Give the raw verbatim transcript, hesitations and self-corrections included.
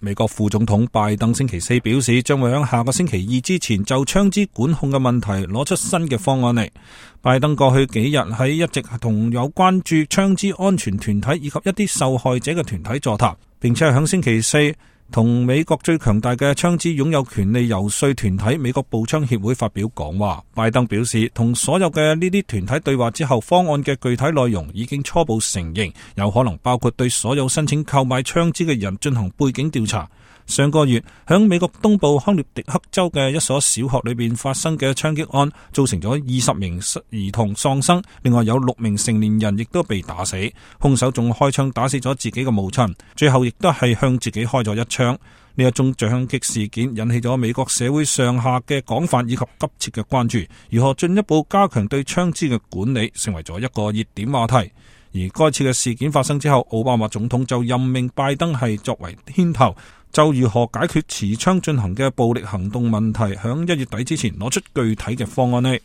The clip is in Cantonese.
美國副總統拜登星期四表示，將會喺下個星期二之前就槍支管控嘅問題攞出新嘅方案嚟。拜登過去幾日喺一直同有關注槍支安全團體以及一啲受害者嘅團體座談，並且係喺星期四同美國最強大嘅槍支擁有權利遊說團體美國步槍協會發表講話。拜登表示，同所有嘅呢啲團體對話之後，方案嘅具體內容已經初步承認，有可能包括對所有申請購買槍支嘅人進行背景調查。上個月響美國東部康涅狄克州嘅一所小學裏邊發生嘅槍擊案，造成咗二十名兒童喪生，另外有六名成年人亦都被打死，兇手仲開槍打死咗自己嘅母親，最後亦都係向自己開咗一槍。呢一宗槍擊事件引起咗美國社會上下嘅廣泛以及急切嘅關注，如何進一步加強對槍支嘅管理，成為咗一個熱點話題。而該次嘅事件發生之後，奧巴馬總統就任命拜登係作為牽頭，就如何解決持槍進行嘅暴力行動問題，響一月底之前攞出具體嘅方案呢。